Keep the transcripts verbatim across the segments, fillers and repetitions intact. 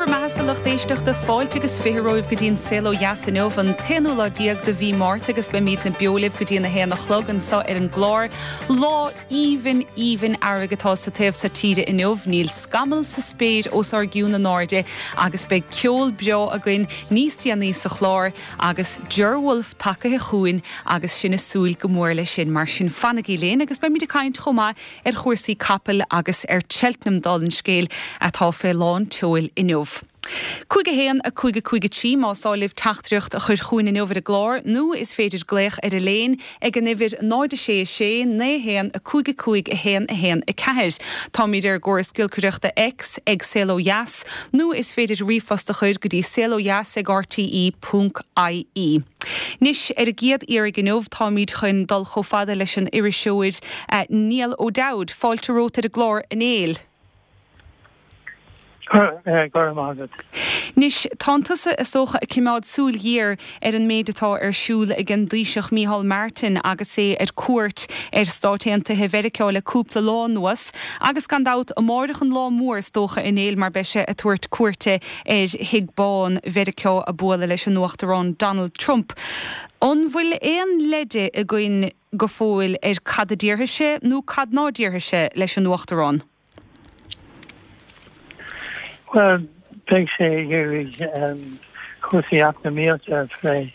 bhur mbeatha, a lucht éisteachta, fáilte agus fiche romhaibh go dtí an Saol Ó Dheas inniu, an t-aonú lá déag de mhí Márta, agus beimidne beo libh go dtí an a haon a chlog anseo ar an gclár. Lá aoibhinn aoibhinn earraigh atá sa taobh seo tíre inniu, níl scamall sa spéir os ár gcionn in airde agus beidh ceol breá againn níos déanaí sa chlár agus Ger Wolfe tagaithe chugainn agus sinn ag súil go mór leis sin. Mar sin fanaigí linn agus beimid ag caint chomh maith ar chúrsaí capaill agus ar Cheltenham, dála an scéil, atá fé lán tseoil inniu. Cúig a haon a cúig a cúig a trí más áil libh teachtaireacht a chur chugainn inniu ar an gclár nó is féidir glaoch ar an líne ag an uimhir náid a sé a sé naoi haon a cúig a cúig a haon a haon a ceathair. Táimid ar an gcóras giolcaireachta X ag Saol Ó Dheas nó is féidir ríomhphost a chur go dtí saolodheas ag R T E ponc I E. Anois, ar an gcéad iarraidh inniu táimid chun dul chomh fada leis an iriseoir uh, Niall O'Dowd, fáilte romhat ar an gclár, a Néill. Go raibh maith agat. Anois, tá tusa is dócha ag coimeád súil ghéar ar an méid atá ar siúl ag an dTaoiseach Micheál Martin agus é ar cuairt ar Stáit Aontaithe Mheiriceá le cúpla lá anuas, agus gan dabht amárach an lá mór is dócha, a Néill, mar beidh sé ag tabhairt cuairte ar Thigh Bán Mheiriceá ag bualadh leis an Uachtarán Donald Trump. An bhfuil aon leide againn go fóill ar cad a déarfaidh sé nó cad ná déarfaidh sé leis an Uachtarán? Well, beidh sé ag iarraidh um, cúrsaí eacnamaíochta a phlé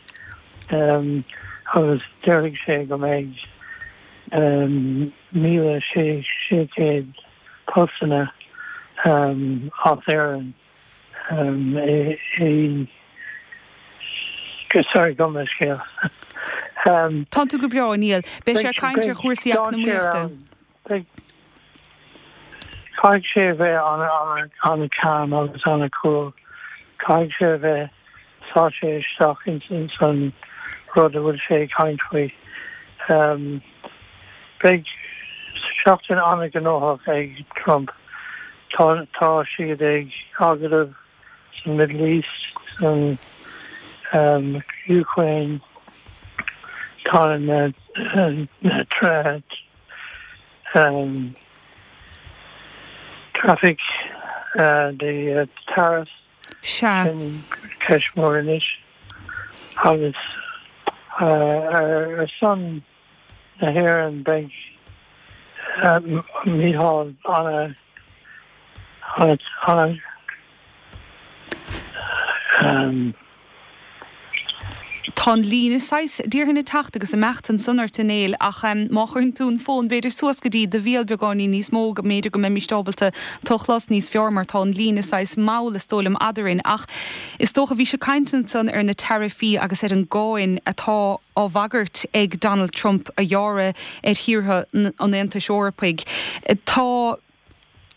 um, agus déarfaidh sé go mbeidh um, míle sé sé chéad postanna um, as Éirinn um, é, é, sorry, gabh mo leithscéal. um, Tá tú go breá, Niall. Beidh sé ag caint ar chúrsaí eacnamaíochta. Caithfidh sé bheith an-calm agus an-cool. Caithfidh sé bheith sáite isteach in in san rud a bhfuil sé ag caint faoi. Um, Beidh seachtain an-ghnóthach ag Trump. Tá tá siad ag agallamh san Middle East, san um, Ukraine, tá na na trade um, traffic, uh, the uh, tariffs Sea. Ceist mór anois agus uh, ar ar son na hÉireann beidh uh, Micheál an an an um, Tá líne sais dtíortha techt agus imeacht ansan ort, a Néill, ach um, má chuireann tú an fón b'fhéidir suas go dtí do bhéal beagáinín níos mó, go mb'fhéidir go mbeimid ábalta tú a chlos níos fearr, mar tá an líne saghas mall is dóigh liom eadrainn, ach is dócha bhí sé ag caint ansan ar na taraifí agus ar an gcáin atá á bhagairt ag Donald Trump a ghearradh ar thíortha an Aontais Eorpaigh. Tá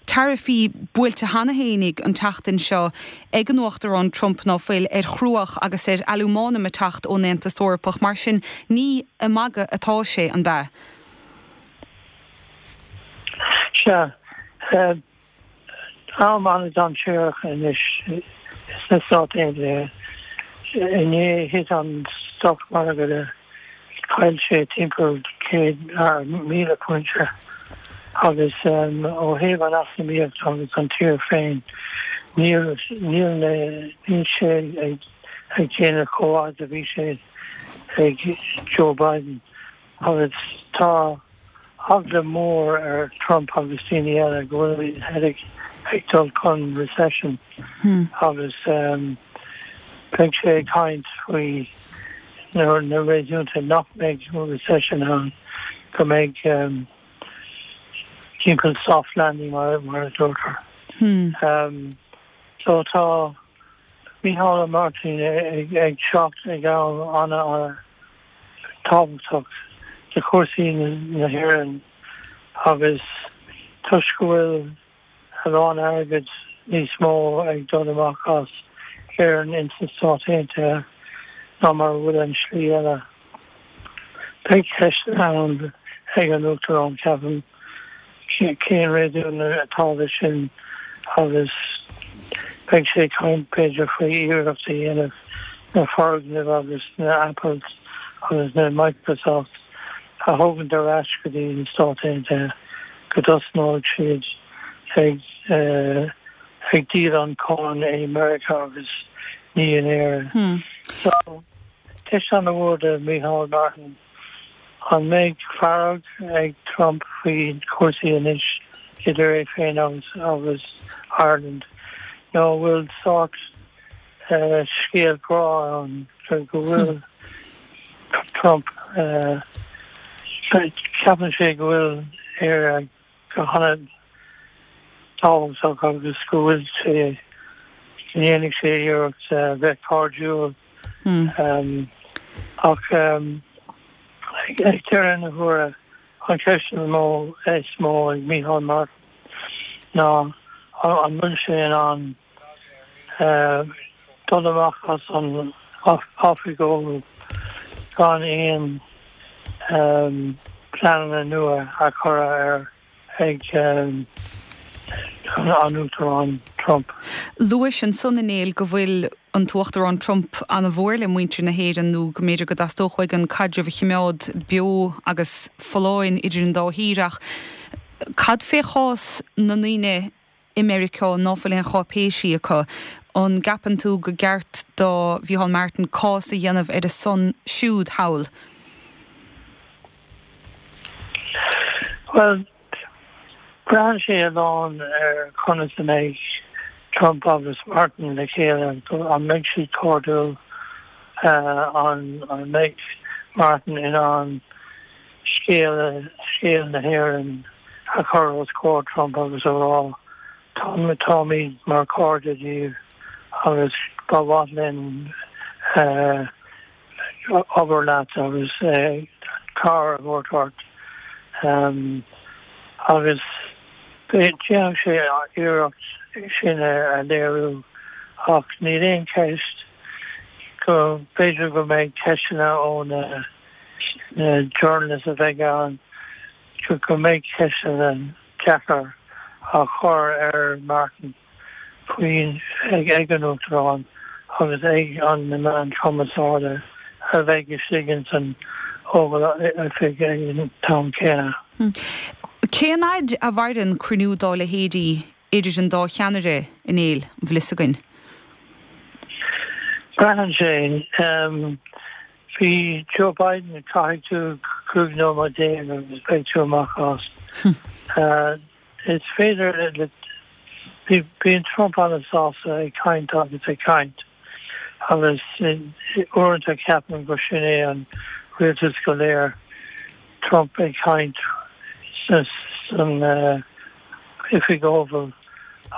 taraifí buailte cheana fhéinig an tseachtain seo ag an Uachtarán Trump, ná fuil, ar chruach agus ar alúmanam ag teacht ón Aontas Eorpach, mar sin ní ag magadh atá sé, an ea? Sea, uh, am an-dainséarach anois sna Stáit Aontaithe. Inné thit an stock market, chaill sé timpeall céad míle pointe agus um, ó thaobh an eacnamaíocht agus an tír féin, níl níl níl sé ag ag déanamh chomh maith a bhí sé ag Joe Biden agus tá eagla mór ar Trump agus daoine eile go bhfuil ag ag dul chun recession hmm. agus um, beidh sé ag caint faoi na na réasúnta nach mbeidh recession ann, go mbeidh um, timpeall soft landing mar mar a deirtear. Hmm. Um, so tá Micheál Martin ag ag teacht ag am an an tábhachtach de chúrsaí na hÉireann agus toisc go bhfuil a lán airgead níos mó ag dul amach as Éirinn ins na Stáit Aontaithe ná mar bhfuil an slí eile. Beidh ceist ann ag an Uachtarán, ceapaim, cén réasún atá leis sin agus beidh sé ag caint b'fhéidir faoi iarracht a dhéanamh na foirgnimh agus na Apples agus na Microsoft a thógaint ar ais go dtí na Stáit Aontaithe, go dtosnóidh siad ag uh, ag díol an cáin i Meiriceá agus ní in Éirinn. Hmm. So ceist an-mhór do Micheál Martin an mbeidh fearg ag Trump faoi chúrsaí anois idir é féin agus agus Ireland nó bhfuil sórt uh, scéal grá ann go bhfuil Trump uh, ceapann sé go bhfuil Éire go han-tábhachtach agus go bhfuil sé ndéanfaidh sé iarracht uh, bheith cairdiúil Hmm. um, ach um, ag ag deireadh na huaire an cheist mó is mó ag Micheál Martin ná an an bhfuil sé in ann uh, dul amach as an Oifig Oval gan aon um, pleananna nua a chur air ag um, an Uachtarán Trump. Luaigh ansan a Néill go bhfuil an tUachtarán Trump an-mhór le muintir na hÉireann nó go mb'fhéidir go dteastódh uaidh an caidreamh a choimeád beo agus folláin idir an dá thír ach cad fé chás na ndaoine i Meiriceá ná fuil aon cháipéisí acu an gceapann tú gur cheart do Mhicheál Martin cás a dhéanamh ar a son siúd thall. Well, braitheann sé a lán ar conas a mbeidh Trump agus Martin le chéile an mbeidh siad cairdiúil uh, an an mbeidh Martin in ann scéal scéal na hÉireann a chur os comhair Trump agus a rá tá táimid mar chairde díobh agus ba mhaith linn uh, obair leat agus uh, cabhair a thabhairt ort. Um, agus déanfaidh sé iarracht sin a léiriú ach níl aon cheist go b'fhéidir go mbeidh ceisteanna ó na na journalists a bheidh ann go go mbeidh ceisteanna deacair á chur ar Martin faoin ag ag an Uachtarán agus ag an na meáin chumarsáide a bheidh istigh in san Oval Oifig ag an t-am céanna. Cén fhad a mhaireann cruinniú dá leithéidí idir an dá cheannaire a Néill an bhfuil a fhios againn? Braitheann sé um, bhí Joe Biden caithfidh tú cúig nóiméad déag agus beidh tú amach as. uh, is féidir le bhí bíonn Trump an-sásta ag caint agus ag caint agus uaireanta ceapaim gur sin é an rialtas go léir Trump ag caint san uh, Oifig Oval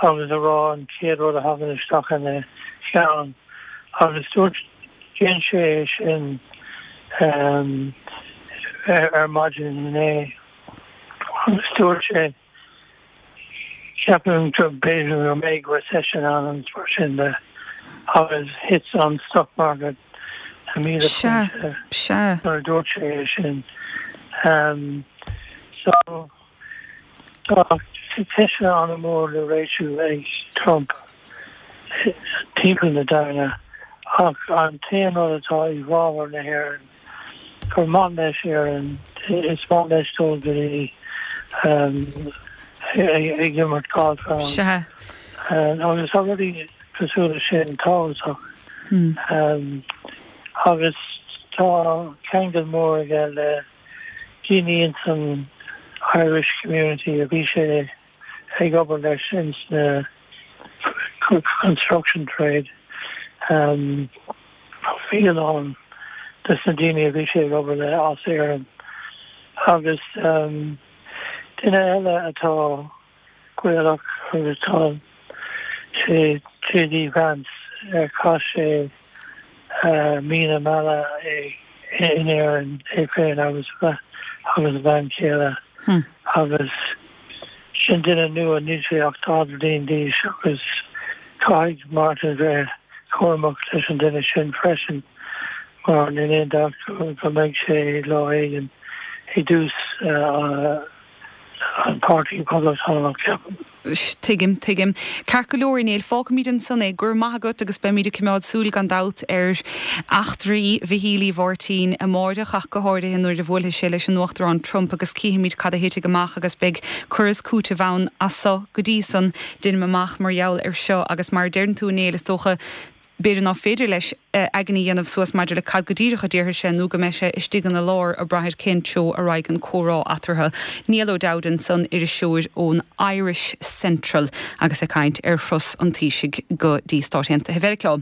agus a rá an chéad rud a thagann isteach ina cheann agus dúirt déan sé sin um, ar, ar maidin inné agus dúirt sé ceapaim go b'fhéidir go mbeidh recession ann agus mar sin de agus thit an stock market a míle Sea, pointe sea. nuair a dúirt sé é sin. Um, so tá ceisteanna an-mhór le réitiú ag Trump timpeall na domhain ach an t-aon rud atá i bhfabhar na hÉireann gur maith leis Éirinn is maith leis dul go dtí um, ag ag imirt golf ann. Sea. Uh, agus tá rudaí cosúil leis sin tábhachtach. Hmm. Um, agus tá ceangal mór aige le daoine in san Irish community a bhí sé ag obair leis ins na construction trade. Um, bhí a lán des na daoine a bhí sé ag obair le as Éirinn. Agus um, duine eile atá Gaelach agus tá sé JD Vance ar chaith sé uh, mí na meala é in Éirinn é féin agus agus a bhean chéile Hmm. agus sin duine nua níl sé ach daichead bliain d'aois agus caithfidh Martin bheith cúramach leis an duine sin freisin mar níl aon dabht go go mbeidh sé lá éigin i dtús uh, an Páirtí Poblachtánach ceapaim. Tuigim tuigim. Ceart go leor Néill fágfaimid ansan é go raibh maith agat agus beimid ag coimeád súil gan dabht ar eachtraí Mhichíl Uí Mháirtín amárach ach go háirithe nuair a bhuailfidh sé leis an Uachtarán Trump agus cífimid cad a thitfidh amach agus beidh cur is cúiteamh ann as so go dtí san déanaim amach mar gheall ar seo agus mar a deireann tú Néill is dócha b'fhéidir nach féidir leis aigne a dhéanamh suas maidir le cad go díreach a déarfaidh sé nó go mbeidh sé istigh ina lár ag brath ar cén treo a raghaidh an comhrá eatarthu. Niall O'Dowd ansan iriseoir ón Irish Central agus ag caint ar thuras an Taoisigh go dtí Stáit Aontaithe Mheiriceá.